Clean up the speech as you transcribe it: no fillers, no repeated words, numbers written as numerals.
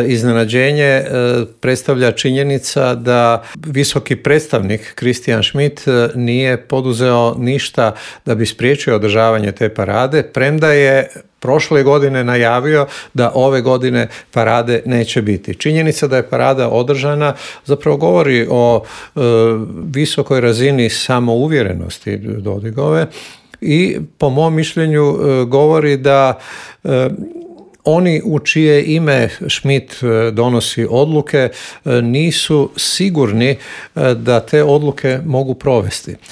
iznenađenje predstavlja činjenica da visoki predstavnik Christian Schmidt nije poduzeo ništa da bi spriječio održavanje te parade, premda je prošle godine najavio da ove godine parade neće biti. Činjenica da je parada održana zapravo govori o visokoj razini samouvjerenosti Dodigove i po mom mišljenju govori da oni u čije ime Schmidt donosi odluke nisu sigurni da te odluke mogu provesti.